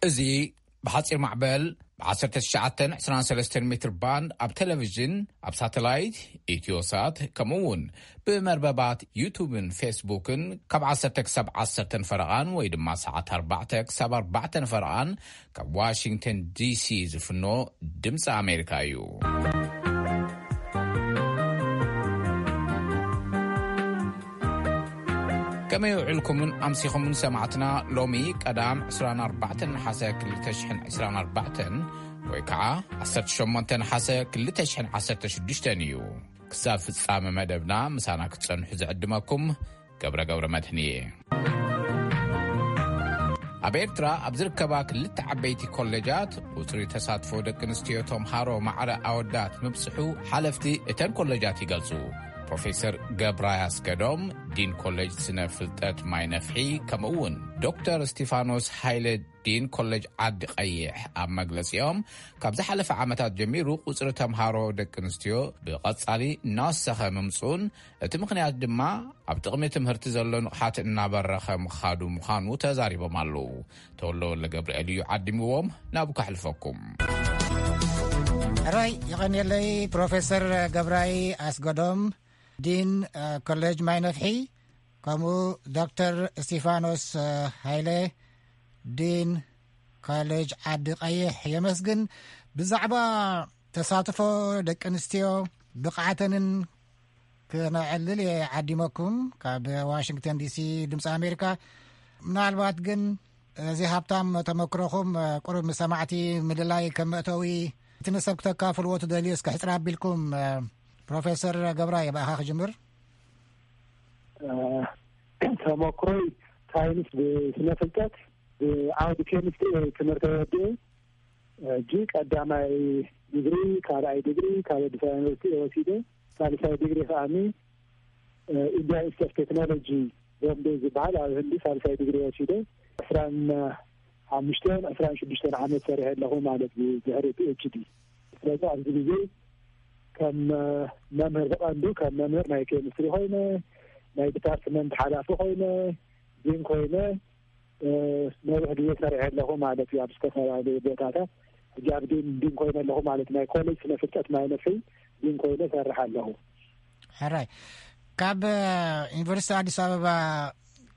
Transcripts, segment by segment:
እዚ ብሓጺር ማዕበል ብ19 23 ሜትር ባንድ ኣብ ቴሌቪዥን፣ ኣብ ሳተላይት፣ ኢትዮሳት፣ ከምኡ እውን ብመርበባት ዩቱብን ፌስቡክን ካብ 10 ክሳብ 10 ፈረቓን ወይ ድማ ሰዓት 4 ክሳብ 4 ፈረቓን ካብ ዋሽንግተን ዲሲ ዝፍኖ ድምፂ ኣሜሪካ እዩ። ከመይ ውዕልኩምን ኣምሲኹምን ሰማዕትና? ሎሚ ቀዳም 24 ነሓሰ 2024 ወይ ከዓ 18 ነሓሰ 2016 እዩ። ክሳብ ፍጻመ መደብና ምሳና ክትጸንሑ ዝዕድመኩም ገብረ ገብረ መድህን እየ። ኣብ ኤርትራ ኣብ ዝርከባ ክልተ ዓበይቲ ኮሌጃት ቁጽሪ ተሳትፎ ደቂ ኣንስትዮ ተምሃሮ ማዕረ ኣወዳት ምብጽሑ ሓለፍቲ እተን ኮሌጃት ይገልጹ። ፕሮፌሰር ገብራይ ኣስገዶም፣ ዲን ኮሌጅ ስነ ፍልጠት ማይ ነፍሒ፣ ከምኡ እውን ዶክተር እስቲፋኖስ ሃይለ፣ ዲን ኮሌጅ ዓዲ ቀይሕ፣ ኣብ መግለጺኦም፣ ካብ ዝሓለፈ ዓመታት ጀሚሩ ቁጽሪ ተምሃሮ ደቂ ኣንስትዮ ብቐጻሊ እናወሰኸ ምምጽኡን፣ እቲ ምኽንያት ድማ ኣብ ጥቕሚ ትምህርቲ ዘሎ ንቕሓት እናበረኸ ምኻዱ ምዃኑ ተዛሪቦም ኣለዉ። ተወልደ ወልደ ገብርኤል እዩ ዓዲምዎም፣ ናብኡ ከሕልፈኩም። ሕራይ፣ ይቐንየለይ ፕሮፌሰር ገብራይ ኣስገዶም፣ ዲን፣ እ፣ ኮሌጅ ማይ ነፍሒ፣ ከምኡ ዶክተር እስቲፋኖስ፣ እ፣ ሃይለ፣ ዲን ኮሌጅ ዓዲ ቀይሕ የመስግን። ብዛዕባ ተሳትፎ ደቂ ኣንስትዮ ብቕዓተንን ክነዕልል እየ ዓዲመኩም ካብ ዋሽንግተን ዲሲ ድምፂ ኣሜሪካ። ምናልባት ግን እዚ ሃብታም ተመክሮኹም፣ እ፣ ቁሩብ ምስ ሰማዕቲ ምልላይ ከም መእተዊ እቲ ንሰብ ክተካፍልዎ ትደልዩ እስከ ሕፅር ኣቢልኩም፣ እ፣ ፕሮፌሰር ገብራይ ብኣኻ ክጅምር። እ፣ ተመክሮይ ሳይንስ ብስነ ፍልጠት ብዓውዲ ኬሚስትሪ ትምህርቲ ወዲኡ ሕጂ ቀዳማይ ዲግሪ፣ ካልኣይ ዲግሪ ካብ ኣዲስ ኣበባ ዩኒቨርሲቲ ወሲደ፣ ሳልሳይ ዲግሪ ከኣኒ፣ እ፣ ኢንዲያ ኢንስቲትዩት ኦፍ ቴክኖሎጂ ቦምቤ ዝበሃል ኣብ ህንዲ ሳልሳይ ዲግሪ ወሲደ፣ 25 26 ዓመት ሰሪሐ ኣለኹ ማለት እዩ፣ ድሕሪ ፒ ኤች ዲ። ስለዚ ኣብዚ ግዜ ከም፣ እ፣ መምህር ብቐንዱ ከም መምህር ናይ ኬሚስትሪ ኮይነ፣ ናይ ዲፓርትመንት ሓላፊ ኮይነ፣ ዲን ኮይነ፣ እ፣ ነዊሕ ግዜ ሰሪሐ ኣለኹ ማለት እዩ፣ ኣብ ዝተፈላለዩ ቦታታት። ሕጂ ኣብ ዲን፣ ዲን ኮይነ ኣለኹ ማለት፣ ናይ ኮሌጅ ስነ ፍልጠት ማይ ነፍሒ ዲን ኮይነ ሰርሕ ኣለኹ። ሕራይ፣ ካብ፣ እ፣ ዩኒቨርሲቲ ኣዲስ ኣበባ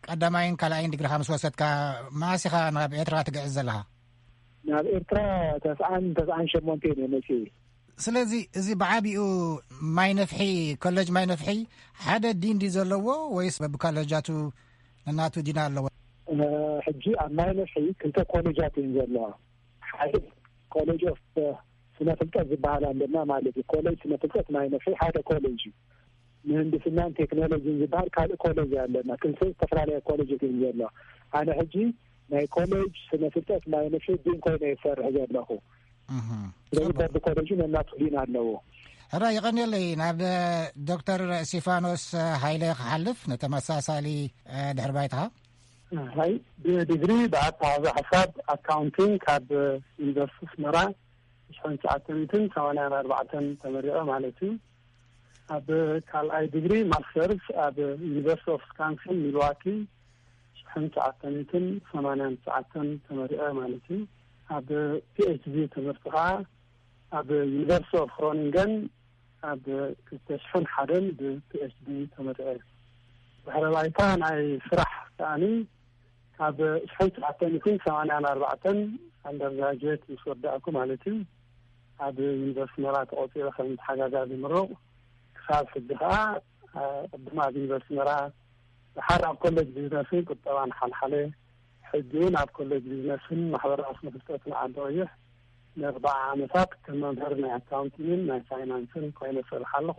ቀዳማይን ካልኣይን ዲግሪኻ ምስ ወሰድካ፣ መኣስ ኢኻ ናብ ኤርትራ ትግዕዝ ዘለኻ? ናብ ኤርትራ ተስዓን፣ ተስዓን ሸሞንተን እየ መፅየ። ስለዚ እዚ ብዓቢኡ ማይ ነፍሒ፣ ኮሌጅ ማይ ነፍሒ ሓደ ዲን ድዩ ዘለዎ ወይስ በብኮሌጃቱ ነናቱ ዲን ኣለዎ? እ፣ ሕጂ ኣብ ማይ ነፍሒ ክልተ ኮሌጃት እየን ዘለዋ። ሓደ ኮሌጅ ኦፍ ስነ ፍልጠት ዝበሃል ኣለና ማለት እዩ። ኮሌጅ ስነ ፍልጠት ማይ ነፍሒ ሓደ ኮሌጅ እዩ። ምህንድስናን ቴክኖሎጂን ዝበሃል ካልእ ኮሌጅ ኣለና። ክልተ ዝተፈላለያ ኮሌጅ እየን ዘለዋ። ኣነ ሕጂ ናይ ኮሌጅ ስነ ፍልጠት ማይ ነፍሒ ዲን ኮይነ ይሰርሕ ዘለኹ። እህ፣ ስለዚ ጽቡቅ። በብኮሌጁ ነናቱ ዲን ኣለዎ። ሕራ ይቐንየለይ። ናብ ዶክተር እስቲፋኖስ ሃይለ ክሓልፍ ንተመሳሳሊ፣ እ፣ ድሕሪ ባይታኻ። ሃይ፣ ብዲግሪ ብኣተሓዛ ሓሳብ ኣካውንቲንግ ካብ ዩኒቨርሲቲ ኣስመራ 1984 ተመሪቐ ማለት እዩ። ኣብ ካልኣይ ዲግሪ ማስተርስ ኣብ ዩኒቨርሲቲ ኦፍ ዊስካንሲን ሚልዋኪ 1989 ተመሪቐ ማለት እዩ። ኣብ ፒ ኤች ዲ ትምህርቲ ከዓ ኣብ ዩኒቨርሲቲ ኦፍ ግሮኒንገን ኣብ 2001 ብ ፒ ኤች ዲ ተመሪቐ። ድሕረ ባይታ ናይ ስራሕ ከኣኒ ካብ 1984 ኣንደርግራጁዌት ምስ ወዳእኩ ማለት እዩ፣ ኣብ ዩኒቨርሲቲ ኣስመራ ተቖጺረ ከም ተሓጋጋዚ ምሩቕ። ክሳብ ሕጂ ከኣ፣ እ፣ ቅድም ኣብ ዩኒቨርሲቲ ኣስመራ፣ ድሓር ኣብ ኮሌጅ ቢዝነስን ቁጠባን ሓልሓለ፣ ሕጂ እውን ኣብ ኮሌጅ ቢዝነስን ማሕበራዊ ስነ ፍልጠትን ዓዲ ቀይሕ ንኣርባዓ ዓመታት ከም መምህር ናይ ኣካውንቲንግን ናይ ፋይናንስን ኮይነ እሰርሕ ኣለኹ።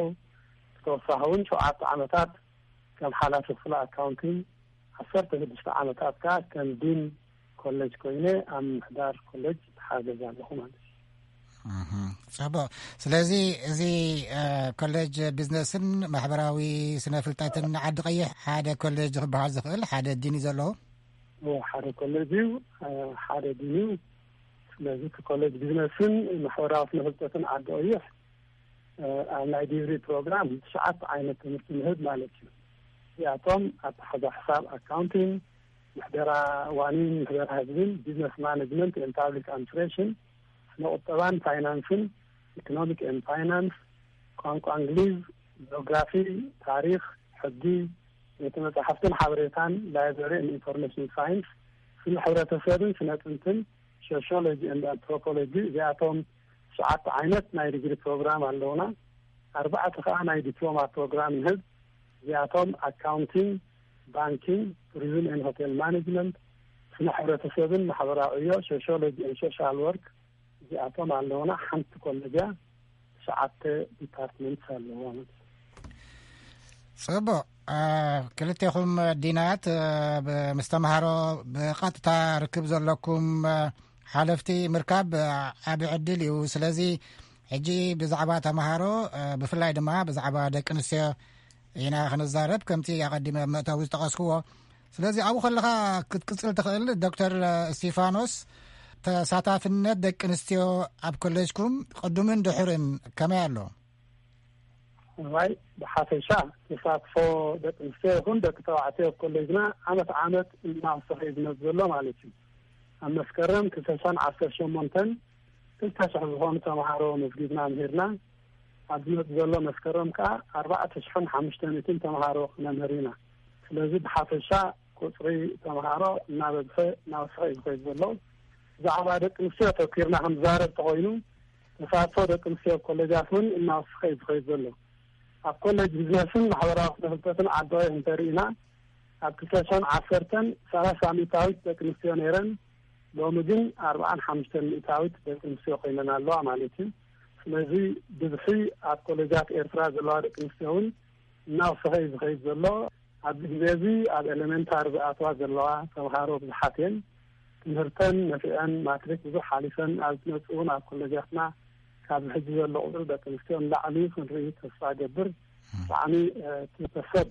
ብተወሳኺ እውን ሸውዓተ ዓመታት ከም ሓላፊ ክፍሊ ኣካውንቲንግ፣ 16 ዓመታት ከኣ ከም ዲን ኮሌጅ ኮይነ ኣብ ምምሕዳር ኮሌጅ ይተሓገዝ ኣለኹ ማለት እዩ። እህ፣ ጽቡቕ። ስለዚ እዚ፣ እ፣ ኮሌጅ ቢዝነስን ማሕበራዊ ስነ ፍልጠትን ዓዲ ቀይሕ ሓደ ኮሌጅ ክበሃል ዝኽእል ሓደ ዲን እዩ ዘለዎ? እዎ፣ ሓደ ኮሌጅ እዩ፣ እ፣ ሓደ ዲን እዩ። ስለዚ እቲ ኮሌጅ ቢዝነስን ማሕበራዊ ስነ ፍልጠትን ዓዲ ቀይሕ ኣብ ናይ ዲግሪ ፕሮግራም ትሽዓተ ዓይነት ትምህርቲ ንህብ ማለት እዩ። እዚኣቶም ኣተሓዛ ሕሳብ፣ ኣካውንቲንግ፣ ምሕደራ ዋኒን ምሕደራ ህዝብን፣ ቢዝነስ ማኔጅመንት ኤንድ ፓብሊክ ኣድሚኒስትሬሽን፣ ስነ ቁጠባን ፋይናንስን፣ ኢኮኖሚክ ኤንድ ፋይናንስ፣ ቋንቋ እንግሊዝ፣ ጂኦግራፊ፣ ታሪኽ፣ ሕጊ፣ ቤተ መጻሕፍትን ሓበሬታን፣ ላይብረሪ ኤንድ ኢንፎርሜሽን ሳይንስ፣ ስነ ሕብረተሰብን ስነ ጥንትን፣ ሶሽዮሎጂ ኤንድ ኣንትሮፖሎጂ፣ እዚኣቶም ትሽዓተ ዓይነት ናይ ዲግሪ ፕሮግራም ኣለውና። ኣርባዕተ ከኣ ናይ ዲፕሎማ ፕሮግራም ንህብ። እዚኣቶም ኣካውንቲንግ፣ ባንኪንግ፣ ቱሪዝም ኤንድ ሆቴል ማኔጅመንት፣ ስነ ሕብረተሰብን ማሕበራዊ ዕዮ፣ ሶሽዮሎጂ ኤንድ ሶሻል ወርክ፣ እዚኣቶም ኣለውና። ሓንቲ ኮሌጅ እያ፣ ትሽዓተ ዲፓርትመንት ኣለዎ ማለት እዩ። ጽቡቕ። ክልቴኹም ዲናት ምስ ተምሃሮ ብቐጥታ ርክብ ዘለኩም ሓለፍቲ ምርካብ ዓቢ ዕድል እዩ። ስለዚ ሕጂ ብዛዕባ ተምሃሮ፣ ብፍላይ ድማ ብዛዕባ ደቂ ኣንስትዮ ኢና ክንዛረብ፣ ከምቲ ኣቐዲመ ኣብ መእተዊ ዝጠቐስክዎ። ስለዚ ኣብኡ ከለኻ ክትቅጽል ትኽእል። ዶክተር እስቲፋኖስ፣ ተሳታፍነት ደቂ ኣንስትዮ ኣብ ኮሌጅኩም ቅዱምን ድሑርን ከመይ ኣሎ? እዋይ፣ ብሓፈሻ ተሳትፎ ደቂ ኣንስትዮ ይኹን ደቂ ተባዕትዮ ኣብ ኮሌጅና ዓመት ዓመት እናወሰኸ እዩ ዝመጽእ ዘሎ ማለት እዩ። ኣብ መስከረም ክልተ ሽሕን ዓሰርተ ሸሞንተን ክልተ ሽሕ ዝኾኑ ተምሃሮ መዝጊብና ምሂርና። ኣብ ዝመጽእ ዘሎ መስከረም ከኣ ኣርባዕተ ሽሕን ሓሙሽተ ሚእትን ተምሃሮ ክነምህር ኢና። ስለዚ ብሓፈሻ ቁጽሪ ተምሃሮ እናበዝሐ እናወሰኸ እዩ ዝኸይድ ዘሎ። ብዛዕባ ደቂ ኣንስትዮ ተኪርና ክንዛረብ ተኾይኑ፣ ተሳትፎ ደቂ ኣንስትዮ ኣብ ኮሌጃት እውን እናወሰኸ እዩ ዝኸይድ ዘሎ። ኣብ ኮሌጅ ቢዝነስን ማሕበራዊ ስነ ፍልጠትን ዓዲ ቀይሕ እንተርኢና፣ ኣብ ክልተ ሽሕን ዓሰርተን ሰላሳ ሚእታዊት ደቂ ኣንስትዮ ነይረን፣ ሎሚ ግን ኣርባዓን ሓሙሽተን ሚእታዊት ደቂ ኣንስትዮ ኮይነን ኣለዋ ማለት እዩ። ስለዚ ብዝሒ ኣብ ኮሌጃት ኤርትራ ዘለዋ ደቂ ኣንስትዮ እውን እናወሰኸ እዩ ዝኸይድ ዘሎ። ኣብዚ ግዜ እዚ ኣብ ኤሌመንታሪ ዝኣትዋ ዘለዋ ተምሃሮ ብዙሓት እየን። ትምህርተን ነፊዐን ማትሪክ ብዙሕ ሓሊፈን ኣብ ዝመጽእ እውን ኣብ ኮሌጃትና ካብዚ ሕጂ ዘሎ ቁጽሪ ደቂ ኣንስትዮ ንላዕሊ ክንርኢ ተስፋ እገብር። ብጣዕሚ እቲ ሰብ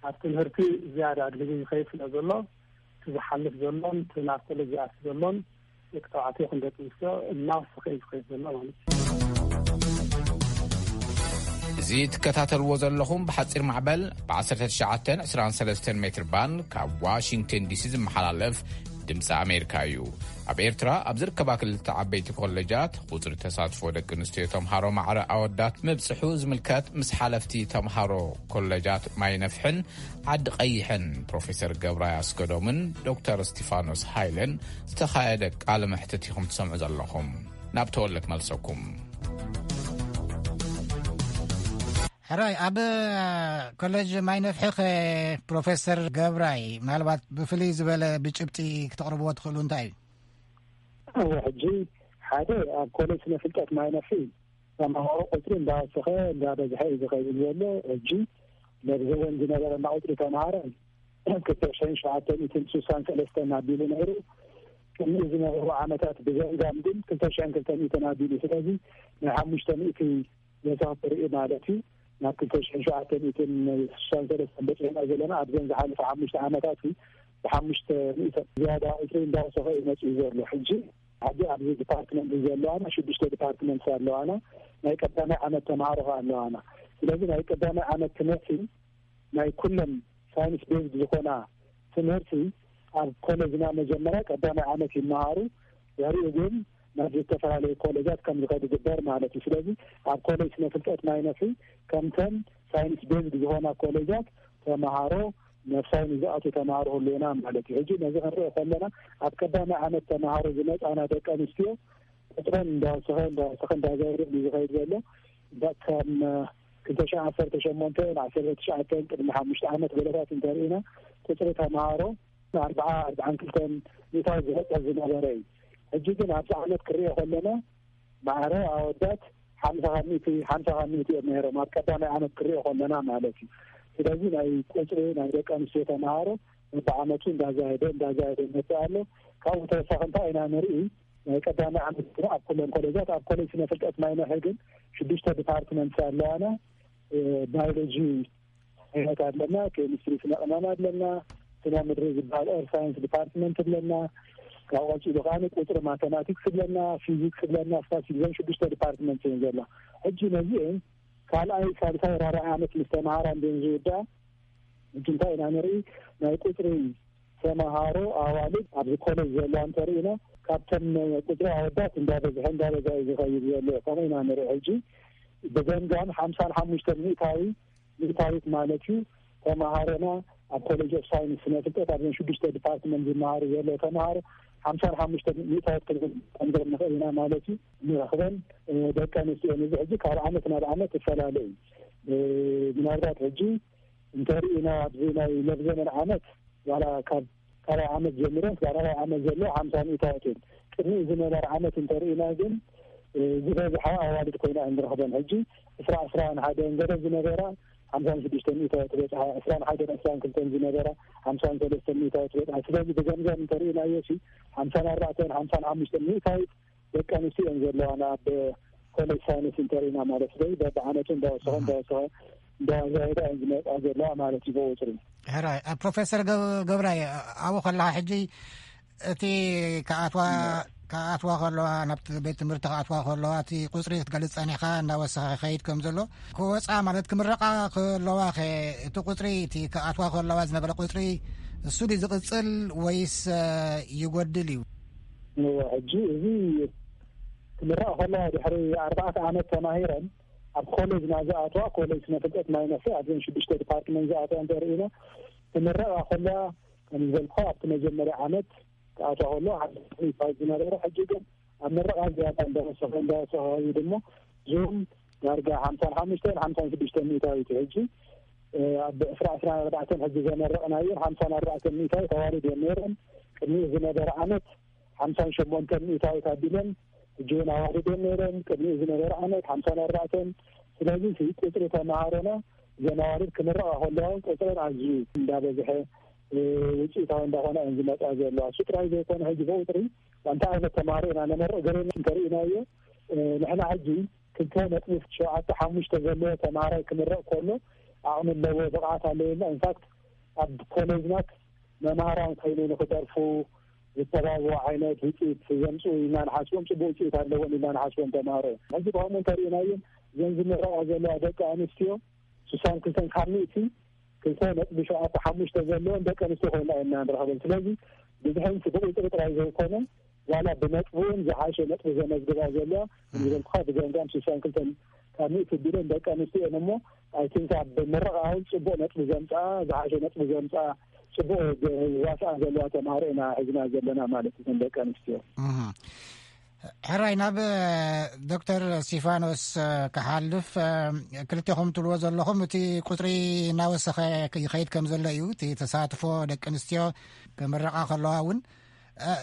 ኣብ ትምህርቲ ዝያዳ ኣድሂቡ ይኸይድ ስለ ዘሎ፣ እቲ ዝሓልፍ ዘሎን እቲ ናብ ኮሌጅ ዝኣቱ ዘሎን ደቂ ተባዕትዮ ይኹን ደቂ ኣንስትዮ እናወሰኸ እዩ ዝኸይድ ዘሎ ማለት እዩ። እዚ ትከታተልዎ ዘለኹም ብሓጺር ማዕበል ብ19 23 ሜትር ባንድ ካብ ዋሽንግተን ዲሲ ዝመሓላለፍ ድምፂ ኣሜሪካ እዩ። ኣብ ኤርትራ ኣብ ዝርከባ ክልተ ዓበይቲ ኮሌጃት ቁጽሪ ተሳትፎ ደቂ ኣንስትዮ ተምሃሮ ማዕረ ኣወዳት ምብጽሑ ዝምልከት ምስ ሓለፍቲ ተምሃሮ ኮሌጃት ማይ ነፍሕን ዓዲ ቀይሕን ፕሮፌሰር ገብራይ ኣስገዶምን ዶክተር እስቲፋኖስ ሃይለን ዝተኻየደ ቃለ መሕትት ኢኹም ትሰምዑ ዘለኹም። ናብ ተወለ ክመልሰኩም። ሕራይ፣ ኣብ ኮሌጅ ማይ ነፍሒ ኸ ፕሮፌሰር ገብራይ፣ ምናልባት ብፍልይ ዝበለ ብጭብጢ ክተቕርብዎ ትኽእሉ እንታይ እዩ? እወ፣ ሕጂ ሓደ ኣብ ኮሌጅ ስነ ፍልጠት ማይ ነፍሒ ተምሃሮ ቁጽሪ እንዳወሰኸ እንዳበዝሐ እዩ ዝኸይድ ዘሎ። ሕጂ ነዚ እዋን ዝነበረና ቁጽሪ ተምሃሮ ክልተ ሽሕን ሸውዓተ ሚእትን ስሳን ሰለስተን ኣቢሉ ነይሩ። ቅድሚ ዝነበሩ ዓመታት ብዘንጋም ግን ክልተ ሽሕን ክልተ ሚእትን ኣቢሉ። ስለዚ ናይ ሓሙሽተ ሚእቲ ወሰኽ ትርኢ ማለት እዩ። ናብ ክልተ ሽሕን ሸውዓተ ሚእትን ስሳን ሰለስተን በጺሕና ዘለና ኣብዘን ዝሓለፈ ሓሙሽተ ዓመታት እዩ። ብሓሙሽተ ሚእቲ ዝያዳ ቁጽሪ እንዳወሰኸ እዩ መጺኡ ዘሎ። ሕጂ ኣብዚ ኣብዚ ዲፓርትመንት ዘለዋና ሽዱሽተ ዲፓርትመንት ኣለዋና። ናይ ቀዳማይ ዓመት ተምሃሮ ከኣ ኣለዋና። ስለዚ ናይ ቀዳማይ ዓመት ትምህርቲ ናይ ኩለን ሳይንስ ቤዝድ ዝኾና ትምህርቲ ኣብ ኮሌጅና መጀመርያ ቀዳማይ ዓመት ይመሃሩ። ድሕሪኡ ግን ናብ ዝተፈላለዩ ኮሌጃት ከም ዝኸዱ ግበር ማለት እዩ። ስለዚ ኣብ ኮሌጅ ስነ ፍልጠት ማይ ነፍሒ ከምተን ሳይንስ ቤዝድ ዝኾና ኮሌጃት ተምሃሮ ነፍሳይ ንዝኣቱ ተምሃሮ ህልውና ማለት እዩ። ሕጂ ነዚ ክንሪኦ ከለና ኣብ ቀዳማይ ዓመት ተምሃሮ ዝመፃና ደቂ ኣንስትዮ ቁፅረን እንዳወሰኸ እንዳወሰኸ እንዳዘወረ እዩ ዝኸይድ ዘሎ። ዳ- ከም ክልተ ሽሕን ዓሰርተ ሸሞንተን ዓሰርተ ትሽዓተን ቅድሚ ሓሙሽተ ዓመት ገለታት እንተርኢና ቁፅሪ ተምሃሮ ኣርባዓ ኣርባዓን ክልተን ሚእታዊ ዝበፅሕ ዝነበረ እዩ። ሕጂ ግን ኣብዚ ዓመት ክሪኦ ከለና ማዕረ ኣወዳት ሓምሳ ካብ ሚእቲ ሓምሳ ካብ ሚእቲ እዮም ነይሮም ኣብ ቀዳማይ ዓመት ክሪኦ ከለና ማለት እዩ። ስለዚ ናይ ቁፅሪ ናይ ደቂ ኣንስትዮ ተምሃሮ በብዓመቱ እንዳዛየደ እንዳዛየደ ይመፅእ ኣሎ። ካብኡ ተወሳኺ እንታይ ኢና ንርኢ? ናይ ቀዳማይ ዓመት ኣብ ኩለን ኮሌጃት ኣብ ኮሌጅ ስነ ፍልጠት ማይ ነፍሒ ግን ሽዱሽተ ዲፓርትመንት ኣለዋና። ባዮሎጂ ዓይነት ኣለና፣ ኬሚስትሪ ስነ ቅመም ኣለና፣ ስነ ምድሪ ዝበሃል ኤር ሳይንስ ዲፓርትመንት ኣለና። ካብ ቀፂሉ ከዓ ቁፅሪ ማተማቲክስ ኣለና፣ ፊዚክስ ኣለና፣ ስታትስቲክስ፣ እዘን ሽዱሽተ ዲፓርትመንት እየን ዘላ። ሕጂ ነዚአን ካልኣይ፣ ሳልሳይ፣ ራብዓይ ዓመት ምስ ተምሃራ እንዲን ዝውዳ ሕጂ እንታይ ኢና ንርኢ? ናይ ቁፅሪ ተምሃሮ ኣዋልድ ኣብዚ ኮሌጅ ዘለዋ እንተርኢና ካብተን ቁፅሪ ኣወዳት እንዳበዝሐ እንዳበዛ እዩ ዝኸይድ ዘሎ። ከምኡ ኢና ንርኢ። ሕጂ ብገምጋም ሓምሳን ሓሙሽተን ሚእታዊ ሚእታዊት ማለት እዩ ተምሃሮና ኣብ ኮሌጅ ኦፍ ሳይንስ ስነ ፍልጠት ኣብዘን ሽዱሽተ ዲፓርትመንት ዝመሃሩ ዘለዉ ተምሃሮ ሓምሳን ሓሙሽተ ሚእታዊት ክንብል ንኽእል ኢና ማለት እዩ። ንረኽበን ደቂ ኣንስትዮ እዚ ሕጂ ካብ ዓመት ናብ ዓመት ይፈላለ እዩ። ምናልባት ሕጂ እንተርኢና ኣብዚ ናይ ለብዘመን ዓመት ዋላ ካብ ካልኣይ ዓመት ጀሚረን ክሳብ ራብዓይ ዓመት ዘሎ ሓምሳ ሚእታዊት እየን። ቅድሚኡ ዝነበረ ዓመት እንተርኢና ግን ዝበዝሓ ኣዋልድ ኮይና እንረኽበን። ሕጂ ዕስራ ዕስራን ሓደን ገለ ዝነበራ ሓምሳን ሽዱሽተ ሚእታዊት በፅሓ፣ ዕስራን ሓደን ዕስራን ክልተን ዝነበራ ሓምሳን ሰለስተን ሚእታዊት በፅሓ። ስለዚ ብገምጋም እንተርኢናዮ ሲ ሓምሳን ኣርባዕተን ሓምሳን ሓሙሽተን ሚእታዊት ደቂ ኣንስትዮ እየን ዘለዋና ኣብ ኮሌጅ ሳይንስ እንተርኢና ማለት። ስለዚ በብዓመቱ እንዳወሰኸ እንዳወሰኸ እንዳዛየዳ እየን ዝመፃ ዘለዋ ማለት እዩ ብቁፅሪ። ሕራይ ፕሮፌሰር ገብራይ ኣብኡ ከለኻ ሕጂ እቲ ከኣትዋ ከኣትዋ ከለዋ ናብቲ ቤት ትምህርቲ ከኣትዋ ከለዋ እቲ ቁፅሪ ክትገልፅ ፀኒሕካ እንዳወሰኸ ይኸይድ ከም ዘሎ ክወፃ ማለት ክምረቓ ከለዋ ኸ እቲ ቁፅሪ እቲ ከኣትዋ ከለዋ ዝነበረ ቁፅሪ እሱ ድዩ ዝቕፅል ወይስ ይጎድል እዩ? ሕጂ እዚ ክምረቓ ከለዋ ድሕሪ ኣርባዕተ ዓመት ተማሂረን ኣብ ኮሌጅ ናዝኣተዋ ኮሌጅ ስነ ፍልጠት ማይ ነፍሒ ኣብዘን ሽዱሽተ ዲፓርትመንት ዝኣተዋ እንተርኢና ክምረቓ ከለዋ ከም ዝበልኩ ኣብቲ መጀመርያ ዓመት ክኣትዋ ከለዋ ሓደ ይፋይት ዝነበረ ሕጂ ግን ኣብ ምረቓ ዝያዳ እንዳወሰኸ እንዳወሰኸ እዩ ድሞ ዙም ዳርጋ ሓምሳን ሓሙሽተን ሓምሳን ሽዱሽተን ሚእታዊት ሕጂ ኣብ ዕስራ ዕስራን ኣርባዕተን ሕጂ ዘመረቕናየን ሓምሳን ኣርባዕተን ሚእታዊት ኣዋልድ እየን ነይረን። ቅድሚኡ ዝነበረ ዓመት ሓምሳን ሸሞንተን ሚእታዊት ኣቢለን ሕጂ እውን ኣዋልድ እየን ነይረን። ቅድሚኡ ዝነበረ ዓመት ሓምሳን ኣርባዕተን። ስለዚ ቁፅሪ ተምሃሮና እዘን ኣዋልድ ክምረቓ ከለዋ እውን ቁፅረን ኣዝዩ እንዳበዝሐ ውፅኢታዊ እንዳኾና እየን ዝመፃ ዘለዋ። እሱ ጥራይ ዘይኮነ ሕጂ ብቁፅሪ እንታይ ዓይነት ተምሃሮ ኢና ነመርቕ ገሌና እንተርኢናዮ ንሕና ሕጂ ክልተ ነጥቢ ሸውዓተ ሓሙሽተ ዘለዎ ተምሃራይ ክምረቕ ከሎ ዓቕሚ ኣለዎ፣ ብቕዓት ኣለዎ ኢልና ኢንፋክት ኣብ ኮሌጅናት መምሃራን ኮይኑ ንክደርፉ ዝተባብዑ ዓይነት ውፅኢት ዘምፅኡ ኢልና ንሓስቦም፣ ፅቡቅ ውፅኢት ኣለዎም ኢልና ንሓስቦም ተምሃሮ እዮም። ሕዚ ብኸምኡ እንተርኢናዮም እዘን ዝምረቓ ዘለዋ ደቂ ኣንስትዮ ስሳን ክልተን ካብ ሚእቲ ክልተ ነጥቢ ሸውዓተ ሓሙሽተ ዘለወን ደቂ ኣንስትዮ ኮይና ኢና ንረኽበን። ስለዚ ብዝሕን ብቁፅሪ ጥራይ ዘይኮነ ዋላ ብነጥቢ እውን ዝሓሸ ነጥቢ ዘመዝግባ ዘለዋ ዝበልኩኻ ብገምጋም ስሳን ክልተን ካብ ሚእቲ ቢለን ደቂ ኣንስትዮ እየን እሞ ኣይ ቲንክ ኣብ ምረቓ እውን ፅቡቅ ነጥቢ ዘምፅኣ ዝሓሸ ነጥቢ ዘምፅኣ ፅቡቅ ዋስኣ ዘለዋ ተምሃሮ ኢና ሒዝና ዘለና ማለት እተን ደቂ ኣንስትዮ። ሕራይ ናብ ዶክተር እስቲፋኖስ ክሓልፍ ክልቴኹም ትብልዎ ዘለኹም እቲ ቁፅሪ እናወሰኸ ይኸይድ ከም ዘሎ እዩ እቲ ተሳትፎ ደቂ ኣንስትዮ ክምረቓ ከለዋ እውን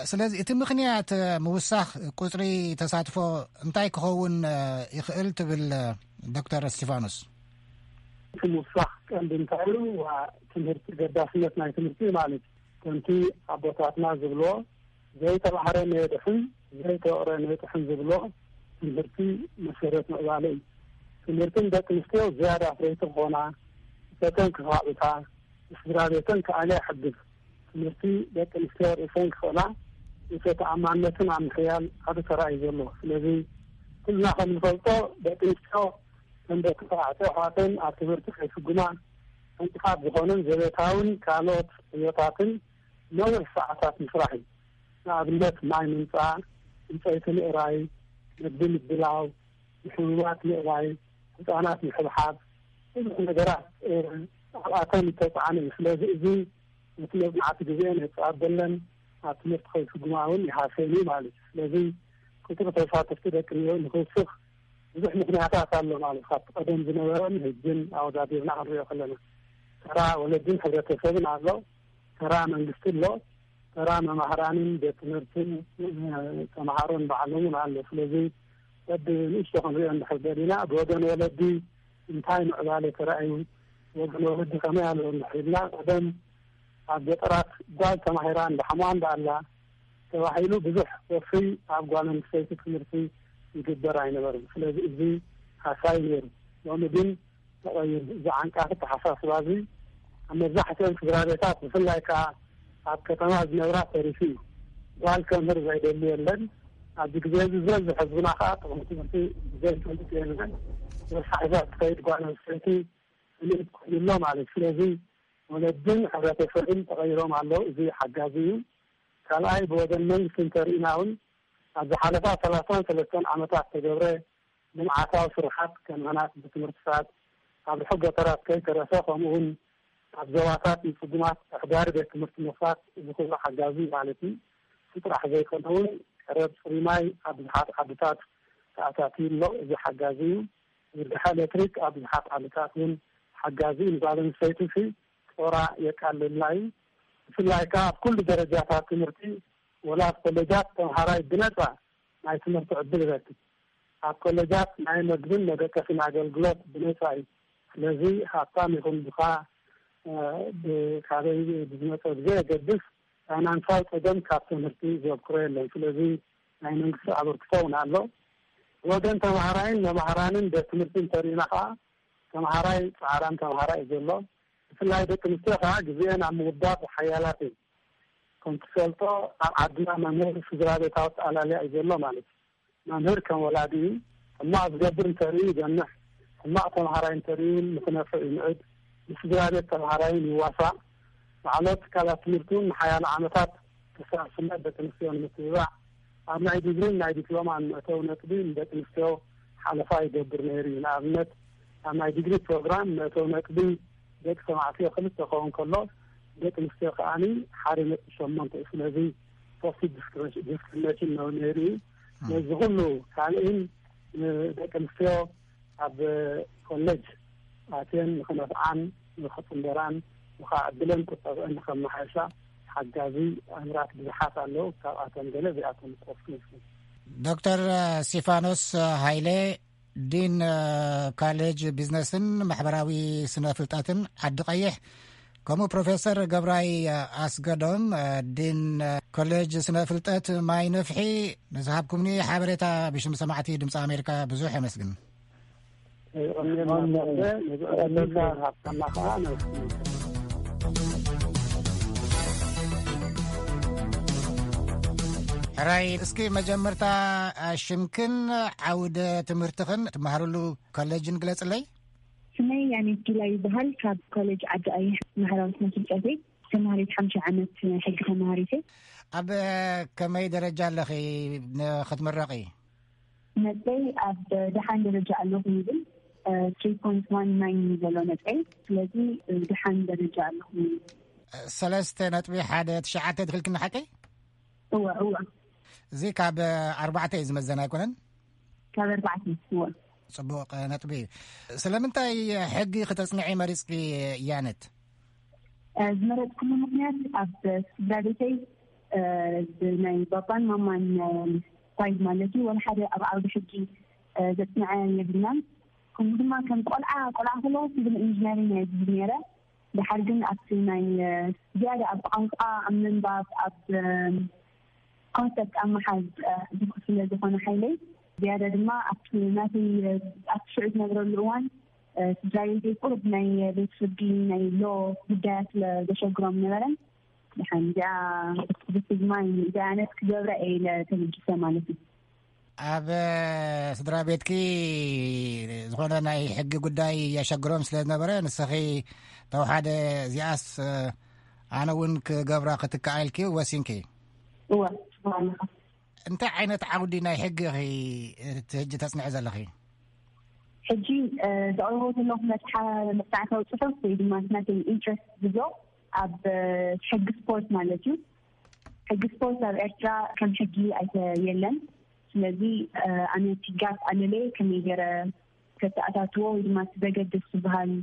ስለዚ እቲ ምኽንያት ምውሳኽ ቁፅሪ ተሳትፎ እንታይ ክኸውን ይኽእል ትብል ዶክተር እስቲፋኖስ? እቲ ምውሳኽ ቀንዲ እንታይ እዩ? ትምህርቲ ገዳስነት ናይ ትምህርቲ ማለት ከምቲ ኣቦታትና ዝብልዎ ዘይተባህረ ነየድሕን ዘይተወቕረ ነየጥሕን ዝብሎ ትምህርቲ መሰረት ምዕባለ እዩ። ትምህርቲ ንደቂ ኣንስትዮ ዝያዳ ፍረይቲ ክኾና፣ እቶተን ክኻዕብታ፣ ንስድራ ቤተን ክኣልያ ይሕግዝ። ትምህርቲ ደቂ ኣንስትዮ ርእሰን ክኽእላ፣ ርእሰ ተኣማንነትን ኣብ ምሕያል ዓቢ ተራ እዩ ዘለዎ። ስለዚ ኩልና ከም ንፈልጦ ደቂ ኣንስትዮ ከም ደቂ ተባዕትዮ ኣሕዋተን ኣብ ትምህርቲ ከይፍጉማ ዕንቅፋት ዝኾነን ዘቤታውን ካልኦት ዕዮታትን ነዊሕ ሰዓታት ምስራሕ እዩ። ንኣብነት ማይ ምምፃእ፣ ዕንፀይቲ ምእራይ፣ መግቢ ምድላው፣ ንሕሙማት ምእላይ፣ ህፃናት ምሕብሓብ፣ ብዙሕ ነገራት ኣብኣተን ዝተፃዕነ እዩ። ስለዚ እዚ ነቲ መፅናዕቲ ግዜአን የፃበለን ኣብ ትምህርቲ ከይፍጉማ እውን ይሃሰን እዩ ማለት እዩ። ስለዚ ቁፅሪ ተሳተፍቲ ደቂ ንክውስኽ ብዙሕ ምኽንያታት ኣሎ ማለት ካብቲ ቀደም ዝነበረን ህጅን ኣወዳዲርና ክንሪኦ ከለና ተራ ወለድን ሕብረተሰብን ኣሎ፣ ተራ መንግስቲ ኣሎ፣ ተራ መማህራንን ቤት ትምህርትን ተምሃሮን ባዕሎምን ኣሎ። ስለዚ በቢ ንእሽቶ ክንሪኦ እንድሕር ደሊና ብወገን ወለዲ እንታይ ምዕባለ ተራእዩ፣ ወገን ወለዲ ከመይ ኣሎ እንድሕር ኢልና ቀደም ኣብ ገጠራት ጓል ተማሂራ እንዳሓማ እንዳኣላ ተባሂሉ ብዙሕ ወፍሪ ኣብ ጓል ኣንስተይቲ ትምህርቲ ይግበር ኣይነበርን። ስለዚ እዚ ሓሳይ ነይሩ። ሎሚ ግን ተቐይሩ። እዚ ዓንቃፊ ኣተሓሳስባ እዚ ኣብ መብዛሕትኦም ስድራ ቤታት ብፍላይ ከዓ ኣብ ከተማ ዝነብራ ተሪፉ እዩ። ጓል ከምህር ዘይደሊ የለን። ኣብዚ ግዜ እዚ ዝበዝሕ ህዝብና ከዓ ጥቕሚ ትምህርቲ ዘይፈልጥ የለን። ብዝሓ ሒዛ ትኸይድ ጓል ኣንስተይቲ ፍልጥ ኮይኑሎ ማለት እዩ። ስለዚ ወለድን ሕብረተሰብን ተቐይሮም ኣለዉ። እዚ ሓጋዚ እዩ። ካልኣይ ብወገን መንግስቲ እንተርኢና እውን ኣብ ዝሓለፋ ሰላሳን ሰለስተን ዓመታት ተገብረ ልምዓታዊ ስርሓት ከም ህናፅ ቤት ትምህርትታት ኣብ ርሑቕ ገጠራት ከይተረፈ ከምኡ እውን ኣብ ዞባታት ንፅጉማት ኣሕዳሪ ቤት ትምህርቲ ምኽፋት እዚ ኩሉ ሓጋዚ ማለት እዩ። እቲ ጥራሕ ዘይኮነ እውን ቀረብ ፅሩይ ማይ ኣብ ብዙሓት ዓድታት ተኣታትዩ ኣሎ። እዚ ሓጋዚ እዩ። ዝርግሐ ኤሌክትሪክ ኣብ ብዙሓት ዓድታት እውን ሓጋዚ እዩ። ንጓል ኣንስተይቲ ሲ ጦራ የቃልልና እዩ። ብፍላይ ከዓ ኣብ ኩሉ ደረጃታት ትምህርቲ ወላ ኣብ ኮሌጃት ተምሃራይ ብነፃ ናይ ትምህርቲ ዕድል ይረክብ። ኣብ ኮሌጃት ናይ መግብን መደቀስን ኣገልግሎት ብነፃ እዩ። ስለዚ ሃብታም ይኹን ድኻ፣ እ፣ ብ-፣ ካበይ ብዝመፀ ብዘየገድስ ፋይናንሳዊ ፀገም ካብ ትምህርቲ ዘብክሮ የለን። ስለዚ ናይ መንግስቲ ኣበርክቶ እውን ኣሎ። ወገን ተምሃራይን መምሃራንን ቤት ትምህርቲ እንተሪእና ከዓ ተምሃራይ ፃዕራም ተምሃራይ እዩ ዘሎ። ብፍላይ ደቂ ኣንስትዮ ከዓ ግዜአን ኣብ ምውዳብ ሓያላት እየን። ከም ትፈልጦ ኣብ ዓድና መምህር ስድራ ቤታዊ ኣጠኣላልያ እዩ ዘሎ ማለት እዩ። መምህር ከም ወላዲ እዩ። ሕማቕ ዝገብር እንተርእዩ ይገንሕ፣ ሕማቕ ተምሃራይ እንተርእዩ እውን ንክነፍዕ ይምዕድ፣ ንስድራ ቤት ተምሃራይ እውን ይዋሳእ። ላዕለዎት ትካላት ትምህርቲ እውን ንሓያሎ ዓመታት ተሰባስብነት ደቂ ኣንስትዮ ንምትብባዕ ኣብ ናይ ዲግሪን ናይ ዲፕሎማን መእተዊ ነጥቢ ንደቂ ኣንስትዮ ሓለፋ ይገብር ነይሩ እዩ። ንኣብነት ኣብ ናይ ዲግሪ ፕሮግራም መእተዊ ነጥቢ ደቂ ተባዕትዮ ክልተ ክኸውን ከሎ ደቂ ኣንስትዮ ከዓኒ ሓደ ነጥቢ ሸሞንተ እዩ። ስለዚ ፖስቲቭ ዲስክሪሚኔሽን ነው ነይሩ እዩ። ነዚ ኩሉ ካልእን ንደቂ ኣንስትዮ ኣብ ኮሌጅ ኣትየን ንክነፍዓን ንክፅንበራን ንካ ዕድለን ቁጠብአን ንከመሓየሻ ሓጋዚ ኣምራት ብዙሓት ኣለዉ። ካብኣቶም ገለ እዚኣቶም ክጠቅሱ ይኽእል። ዶክተር ስቲፋኖስ ሃይለ፣ ዲን ኮሌጅ ቢዝነስን ማሕበራዊ ስነ ፍልጠትን ዓዲ ቀይሕ፣ ከምኡ ፕሮፌሰር ገብራይ ኣስገዶም፣ ዲን ኮሌጅ ስነ ፍልጠት ማይ ነፍሒ፣ ንዝሃብኩምኒ ሓበሬታ ብሽም ሰማዕቲ ድምፂ ኣሜሪካ ብዙሕ የመስግን። የቐንየልና። ነዚ ዕድል ሃብካና ከዓ ነመስግን። ሕራይ፣ እስኪ መጀመርታ ሽምክን ዓውደ ትምህርትኽን ትመሃርሉ ኮሌጅን ግለጽለይ። ስመይ ያኔት ጊላ ይበሃል። ካብ ኮሌጅ ዓዲ ቀይሕ ማሕበራዊ ስነ ፍልጠት እየ። ተምሃሪት ሓምሻይ ዓመት ናይ ሕጊ ተምሃሪት እየ። ኣብ ከመይ ደረጃ ኣለኺ ንኽትምረቒ? ነጥበይ ኣብ ደሓን ደረጃ ኣለኹ ይብል። ትሪ ፖይንት ዋን ናይን እዩ ዘሎ ነጥበይ። ስለዚ ደሓን ደረጃ ኣለኹ ይብል። ሰለስተ ነጥቢ ሓደ ትሽዓተ ትኽልክኒ ሓቀይ? እወ፣ እወ። እዚ ካብ ኣርባዕተ እዩ ዝመዘን ኣይኮነን? ካብ ኣርባዕተ፣ እወ። ጽቡቕ ነጥቢ እዩ። ስለምንታይ ሕጊ ክተጽንዒ መሪጽኪ ያነት? እ፣ ዝመረጽኩሉ ምኽንያት ኣብ ስድራ ቤተይ፣ እ፣ ብናይ ባባን ማማን፣ እ፣ ሳይድ ማለት እዩ፣ ወላ ሓደ ኣብ ዓውዲ ሕጊ፣ እ፣ ዘጽንዐ የብልናን። ከምኡ ድማ ከም ቆልዓ፣ ቆልዓ ከለኹ ሲቪል ኢንጂነሪንግ እየ ዝብል ነይረ። ድሓር ግን ኣብቲ ናይ፣ እ፣ ዝያዳ ኣብ ቋንቋ፣ ኣብ ምንባብ፣ ኣብ፣ እ፣ ኮንሰፕት ኣብ ምሓዝ፣ እ፣ ድኹ ስለ ዝኾነ ሓይለይ፣ ዝያዳ ድማ ኣብቲ ናተይ፣ እ፣ ኣብቲ ሽዑ ዝነብረሉ እዋን፣ እ፣ ስድራ ቤተይ ቁሩብ ናይ ቤት ፍርዲ፣ ናይ ሎ ጉዳያት ስለ ዘሸግሮም ነበረን፣ ድሓን እዚኣ ብስግማይ እዚኣ ዓይነት ክገብራ እየ ኢለ ተበጊሰ ማለት እዩ። ኣብ ስድራ ቤትኪ ዝኾነ ናይ ሕጊ ጉዳይ የሸግሮም ስለ ዝነበረ፣ ንስኺ ተወሓደ እዚኣስ ኣነ እውን ክገብራ ክትከኣ ኢልኪ ወሲንኪ? እወ፣ ኣለኻ። እንታይ ዓይነት ዓውዲ ናይ ሕጊ ኢኺ እቲ ሕጂ ተጽንዒ ዘለኺ? ሕጂ፣ እ፣ ዘቕርቦ ዘለኹ መጽሓ-፣ መጽናዕታዊ ጽሑፍ ወይ ድማ ናተይ ኢንትረስት ዝብሎ ኣብ፣ እ፣ ሕጊ ስፖርት ማለት እዩ። ሕጊ ስፖርት ኣብ ኤርትራ ከም ሕጊ ኣይተ-፣ የለን። ስለዚ፣ እ፣ ኣነ እቲ ጋፕ ኣለለየ ከመይ ገይረ ከተኣታትዎ ወይ ድማ እቲ ዘገድስ ዝበሃል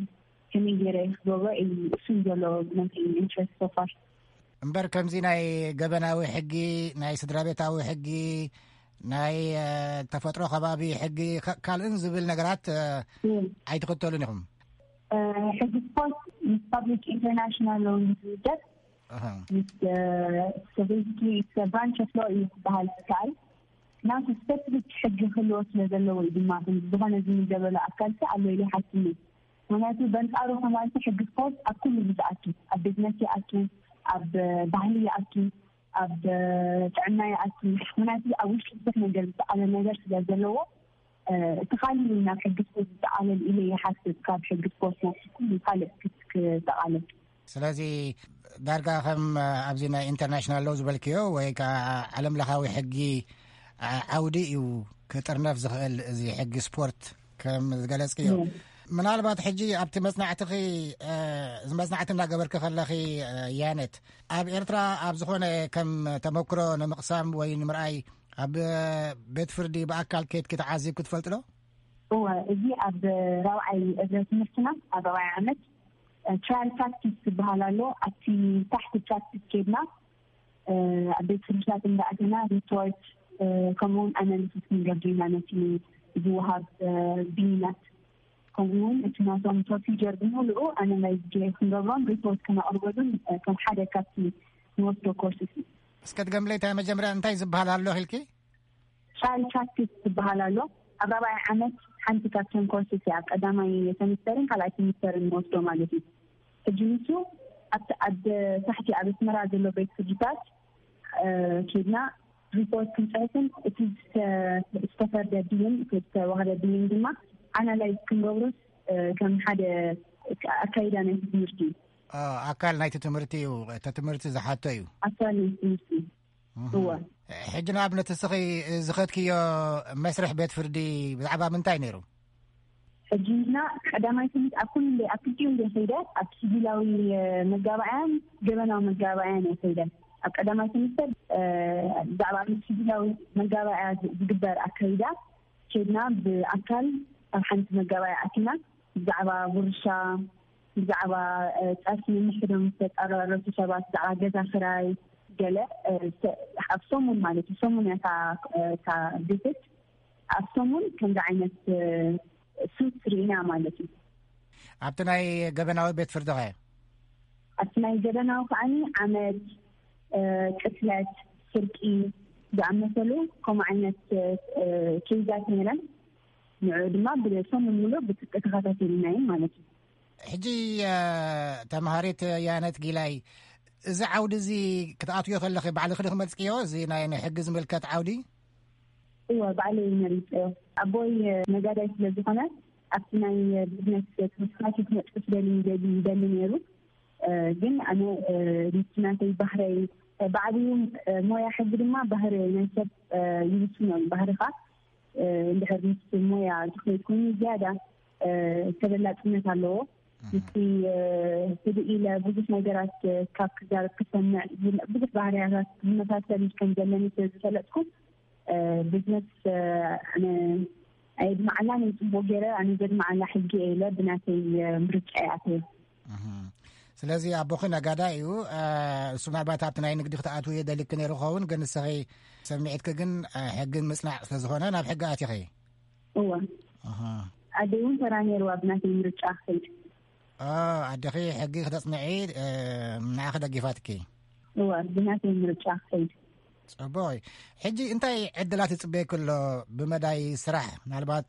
ከመይ ገይረ ክገብሮ እዩ፣ እሱ እዩ ዘሎ ናተይ ኢንትረስት ሶፋር። እምበር ከምዚ ናይ ገበናዊ ሕጊ፣ ናይ ስድራ ቤታዊ ሕጊ፣ ናይ፣ እ፣ ተፈጥሮ ከባቢ ሕጊ፣ ከ-፣ ካልእን ዝብል ነገራት፣ እ፣ እም። ኣይትኽተሉን ኢኹም? እ፣ ሕጊ ስፖርት ምስ ፓብሊክ ኢንተርናሽናል ሎው ዝውደብ፣ ኣሃ። ምስ፣ እ፣ ሶሳይቲ ብራንች ኦፍ ሎው እዩ ክበሃል ዝከኣል። ናቱ ስፔሲፊክ ሕጊ ክህልዎ ስለ ዘለዎ እዩ ድማ ዝኾነ ዝምደበሉ ኣካል ከ ኣሎ ኢለ ይሓስብ። ምኽንያቱ በንጻሩ ከማልቲ ሕጊ ስፖርት ኣብ ኩሉ እዩ ዝኣቱ፣ ኣብ ቢዝነስ ይኣቱ፣ ኣብ ባህሊ ይኣቱ፣ ኣብ ጥዕና ይኣቱ። ምክንያቱ ኣብ ውሽጢ ብዙሕ ነገር ዝጠቓለል ነገር ስለ ዘለዎ፣ እቲ ካልእ ናብ ሕጊ ስፖርት ዝጠቓለል ኢለ ይሓስብ። ካብ ሕጊ ስፖርት ናብ ኩሉ ካልእ ክጠቓለል። ስለዚ ዳርጋ ከም ኣብዚ ናይ ኢንተርናሽናል ሎው ዝበልክዮ ወይ ከዓ ዓለም ለኻዊ ሕጊ ዓውዲ እዩ ክጥርነፍ ዝኽእል፣ እዚ ሕጊ ስፖርት ከም ዝገለጽክዮ። ምናልባት ሕጂ ኣብቲ መጽናዕትኺ፣ እዚ መጽናዕቲ እናገበርኪ ከለኺ፣ ያነት፣ ኣብ ኤርትራ ኣብ ዝኾነ ከም ተመክሮ ንምቕሳም ወይ ንምርኣይ ኣብ ቤት ፍርዲ ብኣካል ከይድኪ ተዓዚብኪ ትፈልጢ ዶ? እወ፣ እዚ ኣብ ራብዓይ እግረ ትምህርትና፣ ኣብ ራብዓይ ዓመት፣ ትራያል ፕራክቲስ ዝበሃል ኣሎ። ኣብቲ ታሕቲ ፕራክቲስ ከይድና፣ ኣብ ቤት ፍርድታት እንዳኣተና ሪፖርት፣ ከምኡውን ኣናሊሲስ ንገብር ኢና፣ ነቲ ዝወሃብ ብይናት፣ ከምኡውን እቲ ናቶም ፕሮሲጀር ብምሉኡ ኣናላይዝ ክንገብሮም፣ ሪፖርት ክነቕርበሉን ከም ሓደ ካብቲ ንወስዶ ኮርስ እዩ። እስከ ድገምለይ፣ እንታይ መጀመርያ እንታይ ዝበሃል ኣሎ ኢልኪ? ትራያል ፕራክቲስ ዝበሃል ኣሎ። ኣብ ራብዓይ ዓመት ሓንቲ ካብተን ኮርስ እያ፣ ኣብ ቀዳማይ ሰሚስተርን ካልኣይ ሰሚስተርን ንወስዶ ማለት እዩ። ሕጂ ንሱ ኣብቲ ኣብ ታሕቲ ኣብ ኣስመራ ዘሎ ቤት ፍርድታት፣ እ፣ ኬድና ሪፖርት ክንጽሕፍን እቲ ዝተ-፣ ዝተፈርደ ብይን፣ እቲ ዝተዋህበ ብይን ድማ ኣናላይዝ ክንገብሮስ፣ እ፣ ከም ሓደ ኣካይዳ ናይቲ ትምህርቲ እዩ። እ፣ ኣካል ናይቲ ትምህርቲ እዩ። እቲ ትምህርቲ ዝሓቶ እዩ። ኣካል ናይቲ ትምህርቲ እዩ። እወ። ሕጂ ንኣብነት እስኺ ዝኸድክዮ መስርሕ ቤት ፍርዲ ብዛዕባ ምንታይ ነይሩ? ሕጂ ንሕና ቀዳማይ ትምህርቲ ኣብ ኩሉ እንደ-፣ ኣብ ክልቲኡ እንደ ከይደ፣ ኣብ ሲቪላዊ፣ እ፣ መጋባእያን ገበናዊ መጋባእያን እየ ከይደ። ኣብ ቀዳማይ ትምህርቲ፣ እ፣ ብዛዕባ ኣብ ሲቪላዊ መጋባእያ ዝ-፣ ዝግበር ኣካይዳ ከይድና ብኣካል ኣብ ሓንቲ መጋባእያ ኣቲና ብዛዕባ ውርሻ፣ ብዛዕባ፣ እ፣ ጸርፊ ነንሕዶም ዝተጻረረቱ ሰባት፣ ብዛዕባ ገዛ ክራይ፣ ገለ፣ እ፣ ሰ-፣ ኣብ ሰሙን ማለት እዩ። ሰሙን እያ እታ፣ እ፣ እታ ቪዚት። ኣብ ሰሙን ከምዚ ዓይነት፣ እ፣ ሱት ርኢና ማለት እዩ። ኣብቲ ናይ ገበናዊ ቤት ፍርዲ ኸ? ኣብቲ ናይ ገበናዊ ከዓኒ ዓመት፣ እ፣ ቅትለት፣ ስርቂ ዝኣመሰሉ ከምኡ ዓይነት፣ እ፣ ኬዛት ነይረን። ንዕኡ ድማ ብሰሙን ሙሉእ ብጽብቂ ተኸታቲልናዮ ማለት እዩ። ሕጂ፣ እ፣ ተምሃሪት ያነት ጊላይ፣ እዚ ዓውዲ እዚ ክትኣትዮ ከለኺ ባዕልኺ ዲኺ መርጽክዮ? እዚ ናይ፣ ናይ ሕጊ ዝምልከት ዓውዲ? እወ፣ ባዕለይ መሪጸዮ። ኣቦይ ነጋዳይ ስለ ዝኾነ፣ ኣብቲ ናይ ቢዝነስ ትምህርትና ክነጥፍ ደሊ፣ ደሊ፣ ደሊ ነይሩ። እ፣ ግን ኣነ፣ እ፣ ምስቲ ናተይ ባህረይ፣ እ፣ ብዓብዩ፣ እ፣ ሞያ ሕጊ ድማ ባህሪ ናይ ሰብ፣ እ፣ ይውስኖ እዩ። ባህርኻ፣ እ፣ እንድሕር ምስ ሞያ ዝኸይድ ኮይኑ ዝያዳ፣ እ፣ ተበላጽነት ኣለዎ። እህ። ምስቲ፣ እ፣ ህድእ ኢለ ብዙሕ ነገራት፣ እ፣ ካብ ክዛረብ ክሰምዕ፣ ብዙሕ ባህርያታት ዝመሳሰል ከም ዘለኒ ስለ ዝፈለጥኩ፣ እ፣ ቢዝነስ፣ እ፣ ኣነ ኣየድምዓላን እየ ጽቡቕ ገይረ፣ ኣነ ዘድምዓላ ሕጊ እየ ኢለ ብናተይ፣ እ፣ ምርጫ እየ ኣትየ። እህ። ስለዚ ኣቦኺ ነጋዳይ እዩ። እ፣ እሱ ምናልባት ኣብቲ ናይ ንግዲ ክትኣትዊ የደልኪ ነይሩ ክኸውን፣ ግን ንስኺ ሰሚዒትኪ ግን፣ እ፣ ሕጊ ምጽናዕ ስለ ዝኾነ ናብ ሕጊ ኣቲኺ። እወ። ኣሃ። ኣደይ እውን ተራ ነይርዋ ብናተይ ምርጫ ክኸይድ። ኦ፣ ኣደኺ ሕጊ ክተጽንዒ፣ እ፣ ንዓኺ ደጊፋትኪ? እወ፣ ብናተይ ምርጫ ክኸይድ። ጽቡቕ እዩ። ሕጂ እንታይ ዕድላት ይጽበየኪ ኣሎ ብመዳይ ስራሕ? ምናልባት፣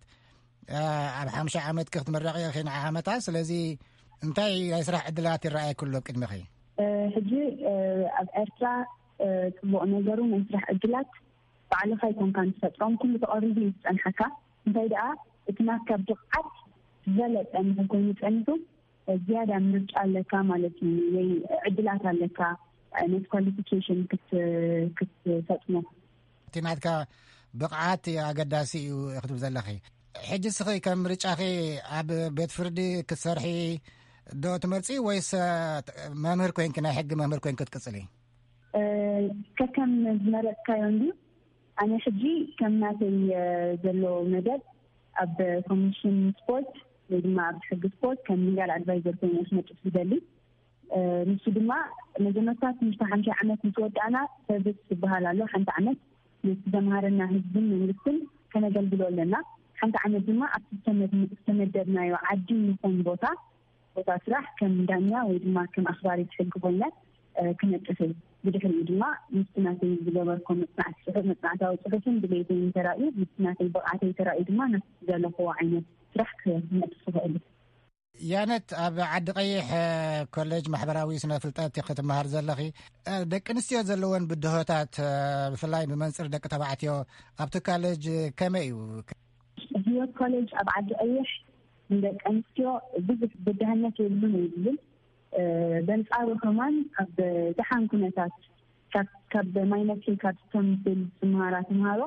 እ፣ ኣብ ሓምሻይ ዓመትኪ ክትምረቒ ኢኺ ንዓ ዓመታ። ስለዚ እንታይ ናይ ስራሕ ዕድላት ይረኣየኪ ኣሎ ኣብ ቅድሚኺ? እ፣ ሕጂ፣ እ፣ ኣብ ኤርትራ፣ እ፣ ጽቡቕ ነገሩ ናይ ስራሕ ዕድላት ባዕልኻ ኣይኮንካን ትፈጥሮም፣ ኩሉ ተቐሪቡ እዩ ዝጸንሓካ። እንታይ ደኣ፣ እቲ ናትካ ብቕዓት ዝበለጸ እንድሕር ኮይኑ ጸኒሑ፣ ዝያዳ ምርጫ ኣለካ ማለት እዩ፣ ወይ ዕድላት ኣለካ፣ ነቲ ኳሊፊኬሽን ክት-፣ ክትፈጽሞ። እቲ ናትካ ብቕዓት ኣገዳሲ እዩ ክትብል ዘለኺ። ሕጂ እስኺ ከም ምርጫኺ ኣብ ቤት ፍርዲ ክትሰርሒ ዶ ትመርጺ ወይስ መምህር ኮይንኪ፣ ናይ ሕጊ መምህር ኮይንኪ ክትቅጽሊ? እ፣ ከከም ዝመረጽካዮ እንድዩ። ኣነ ሕጂ ከም ናተይ፣ እ፣ ዘሎ መደብ ኣብ ኮሚሽን ስፖርት ወይ ድማ ኣብ ሕጊ ስፖርት ከም ሊጋል ኣድቫይዘር ኮይነ ክነጥፍ ዝደሊ። እ፣ ንሱ ድማ መጀመርታ ትምህርቲ ሓምሻይ ዓመት ምስ ወዳእና ሰርቪስ ዝበሃል ኣሎ። ሓንቲ ዓመት ነቲ ዘምሃረና ህዝብን መንግስትን ከነገልግሎ ኣለና። ሓንቲ ዓመት ድማ ኣብቲ ዝተመድ-፣ ዝተመደብናዮ ዓዲ ይኹን ቦታ ቦታ ስራሕ ከም ዳኛ ወይ ድማ ከም ኣኽባሪት ሕጊ ኮይነ፣ እ፣ ክነጥፍ እየ። ብድሕሪኡ ድማ ምስቲ ናተይ ዝገበርኮ መጽናዕቲ ጽሑፍ፣ መጽናዕታዊ ጽሑፍን ድሌተይን ተራእዩ፣ ምስቲ ናተይ ብቕዓተይ ተራእዩ ድማ ናብቲ ዝደለኽዎ ዓይነት ስራሕ ክነጥፍ እኽእል እየ። ያነት፣ ኣብ ዓዲ ቀይሕ ኮሌጅ ማሕበራዊ ስነ ፍልጠት ክትመሃር ዘለኺ፣ ደቂ ኣንስትዮ ዘለወን ብድሆታት፣ ብፍላይ ብመንፅር ደቂ ተባዕትዮ ኣብቲ ካሌጅ ከመይ እዩ? ህይወት ኮሌጅ ኣብ ዓዲ ቀይሕ ንደቂ ኣንስትዮ ብዙሕ ብድህነት የብሉን ይብል። በንፃሩ ከማን ኣብ ደሓን ኩነታት ካብ ማይነፍሒ ካብ ስተምብል ዝመሃራ ተምሃሮ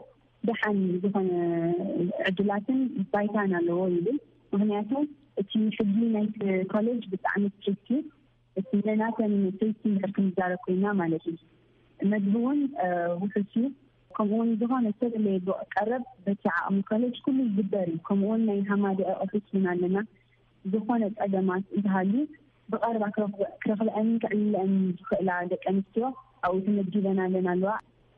ደሓን ዝኾነ ዕድላትን ባይታን ኣለዎ ይብል። ምክንያቱ እቲ ሕጊ ናይቲ ኮሌጅ ብጣዕሚ ስትሪክት እዩ። እቲ ነናተን ሰይቲ እንድሕር ክንዛረብ ኮይና ማለት እዩ። መግቢ እውን ውሑስ እዩ። ከምኡውን ዝኾነ ዝተደለየ ቀረብ በቲ ዓቕሚ ኮሌጅ ኩሉ ይግበር እዩ። ከምኡውን ናይ ሃማደአ ኦፊስ እውን ኣለና። ዝኾነ ጸገማት እንተሃልዩ ብቐረባ ክረኽበ- ክረኽበአንን ክዕልለአንን ዝኽእላ ደቂ ኣንስትዮ ኣብኡ ተመዲበን ኣለና ኣለዋ።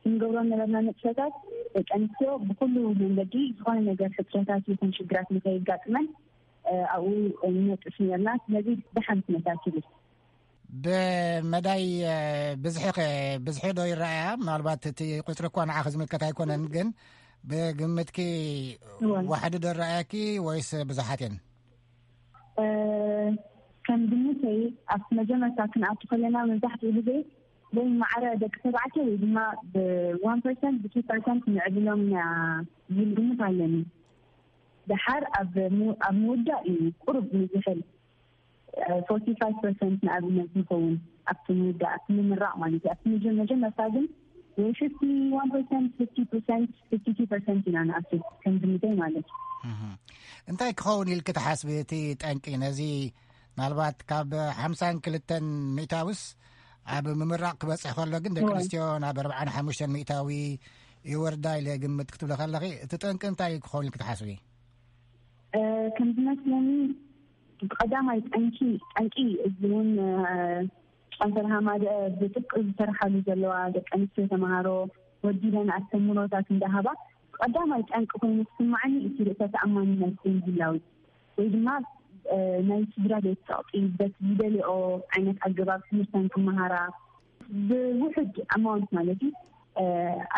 ክንገብሮ ነበርና ንጥፈታት ደቂ ኣንስትዮ ብኩሉ መንገዲ ዝኾነ ነገር ሕጽረታት ይኹን ሽግራት ንኸየጋጥመን ኣብኡ ንነጥፍ ነርና። ስለዚ ደሓን ኩነታት ይብል። ብመዳይ ብዝሒ ከ ብዝሒ ዶ ይረኣያ? ምናልባት እቲ ቁፅሪ እኳ ንዓኺ ዝምልከት ኣይኮነን፣ ግን ብግምትኪ ዋሕዲ ዶ ረኣያኪ ወይስ ብዙሓት እየን? ከም ግምተይ ኣብቲ መጀመርታ ክንኣቱ ከለና መብዛሕትኡ ግዜ ወይ ማዕረ ደቂ ተባዕትዮ ወይ ድማ ብዋን ፐርሰንት ብቱ ፐርሰንት ንዕብሎም ኢና ዝብል ግምት ኣለኒ። ደሓር ኣብ ምውዳእ እዩ ቁሩብ ንዝሕል ፎርቲ ፋይቭ ፐርሰንት ንኣብነት ንኸውን ኣብቲ ምውዳእ ኣብቲ ምምራቕ ማለት እዩ። ኣብቲ መጀመርታ ግን ወይ ፊፍቲ ዋን ፐርሰንት ፊፍቲ ፐርሰንት ፊፍቲ ቱ ፐርሰንት ኢና ንኣቱ ከም ግምተይ ማለት እዩ። እንታይ ክኸውን ኢልክ ትሓስቢ እቲ ጠንቂ ነዚ? ምናልባት ካብ ሓምሳን ክልተን ሚእታውስ ኣብ ምምራቕ ክበፅሕ ከሎ ግን ደቂ ኣንስትዮ ናብ ኣርባዓን ሓሙሽተን ሚእታዊ ይወርዳ ኢለ ግምት ክትብለ ከለኺ እቲ ጠንቂ እንታይ ክኸውን ኢልክ ትሓስቢ? ከም ዝመስለኒ ብቐዳማይ ጠንቂ ጠንቂ እዚ እውን ጨንፈር ሃማደ ብጥብቂ ዝሰርሓሉ ዘለዋ ደቂ ኣንስትዮ ተምሃሮ ወዲበን ኣስተምህሮታት እንዳሃባ ብቐዳማይ ጠንቂ ኮይኑ ክስማዓኒ እቲ ርእሰ ተኣማንነት ዘይምህላው ወይ ድማ ናይ ስድራ ቤት ጸቕጢ በቲ ዝደልኦ ዓይነት ኣገባብ ትምህርተን ክመሃራ ብውሕድ ኣማውንት ማለት እዩ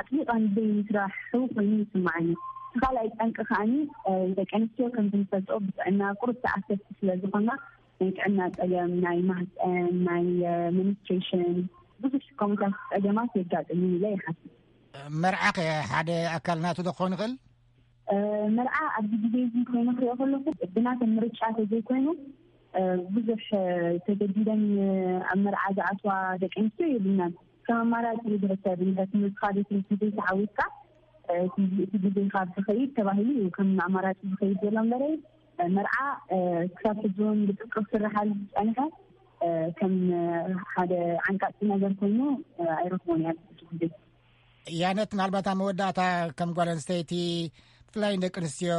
ኣጥቢቐን ዘይምስራሑ ኮይኑ ይስማዓኒ። እቲ ካልኣይ ጠንቂ ከዓኒ ደቂ ኣንስትዮ ከምቲ ንፈልጦ ብጥዕና ቁሩብ ተኣሰርቲ ስለ ዝኾና ናይ ጥዕና ጸገም፣ ናይ ማህፀን፣ ናይ ሚኒስትሬሽን ብዙሕ ከምታት ጸገማት የጋጥም ኢለ ይሓስብ። መርዓ ከ ሓደ ኣካል ናቱ ዶ ክኸውን ይኽእል? መርዓ ኣብዚ ግዜ እዚ ኮይኑ ክሪኦ ከለኹ ብናተን ምርጫ ተዘይኮይኑ ብዙሕ ተገዲደን ኣብ መርዓ ዝኣትዋ ደቂ ኣንስትዮ የብልናን። ከም ኣማራፂ ዝሕሰብ እዩ። ትምህርትኻ ቤት ትምህርቲ ዘይተዓዊትካ እቲ ግዜኻ ዝኸይድ ተባሂሉ እዩ ከም ኣማራፂ ዝኸይድ ዘሎ እምበረ መርዓ ክሳብ ሕጂ እውን ብጥብቂ ክስርሓሉ ዝፀንሐ ከም ሓደ ዓንቃፂ ነገር ኮይኑ ኣይረኽቦን እያ ብዙ ግዜ። ያነት፣ ምናልባት ኣብ መወዳእታ ከም ጓል ኣንስተይቲ ብፍላይ ንደቂ ኣንስትዮ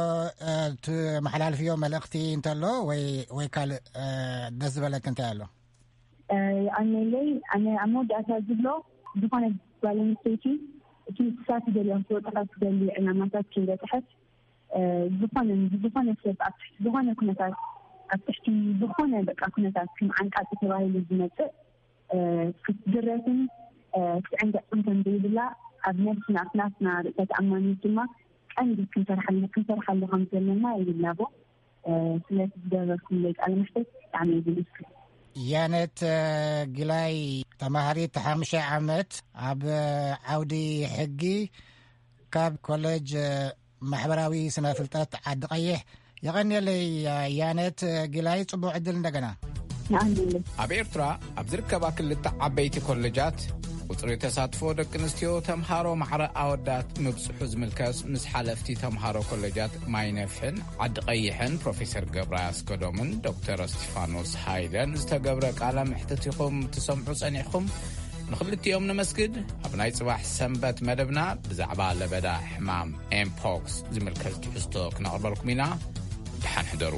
ትመሓላልፍዮ መልእኽቲ እንተሎ ወይ ወይ ካልእ ደስ ዝበለክ እንታይ ኣሎ? ኣነለይ ኣነ ኣብ መወዳእታ ዝብሎ ዝኾነ ጓል ኣንስተይቲ እቲ ንሳ ትደልዮ ክወጣ ካብ ትደሊ ዕላማታት ከይበፅሐት ዝኾነ ዝኾነ ሰብ ኣብ ትሕቲ ዝኾነ ኩነታት ኣብ ትሕቲ ዝኾነ በቃ ኩነታት ከም ዓንቃፂ ተባሂሉ ዝመፅእ ክትድረትን ክትዕንገፅን ከም ዘይብላ ኣብ ነብስና ኣብ ናትና ርእሰ ተኣማንነት ድማ ቀንዲ ክንሰርሓሉ ክንሰርሓሉ ከም ዘለና ይብላቦ። ስለቲ ዝገበርኩምለይ ቃለ መሕተት ብጣዕሚ እየ ዘመስግን። ያነት ጊላይ፣ ተማሃሪት ሓሙሻይ ዓመት ኣብ ዓውዲ ሕጊ ካብ ኮሌጅ ማሕበራዊ ስነ ፍልጠት ዓዲ ቀይሕ። የቐንየለይ ያነት ጊላይ፣ ጽቡቕ ዕድል እንደገና። ንኣንድነት ኣብ ኤርትራ ኣብ ዝርከባ ክልተ ዓበይቲ ኮሌጃት ቁጽሪ ተሳትፎ ደቂ ኣንስትዮ ተምሃሮ ማዕረ ኣወዳት ምብጽሑ ዝምልከት ምስ ሓለፍቲ ተምሃሮ ኮሌጃት ማይ ነፍሕን ዓዲ ቀይሕን ፕሮፌሰር ገብረ ኣስገዶምን ዶክተር እስቲፋኖስ ሃይለን ዝተገብረ ቃለ መሕትት ኢኹም ትሰምዑ ጸኒሕኹም። ንኽልቲኦም ነመስግድ። ኣብ ናይ ጽባሕ ሰንበት መደብና ብዛዕባ ለበዳ ሕማም ኤምፖክስ ዝምልከት ትሕዝቶ ክነቕርበልኩም ኢና። ደሓን ሕደሩ።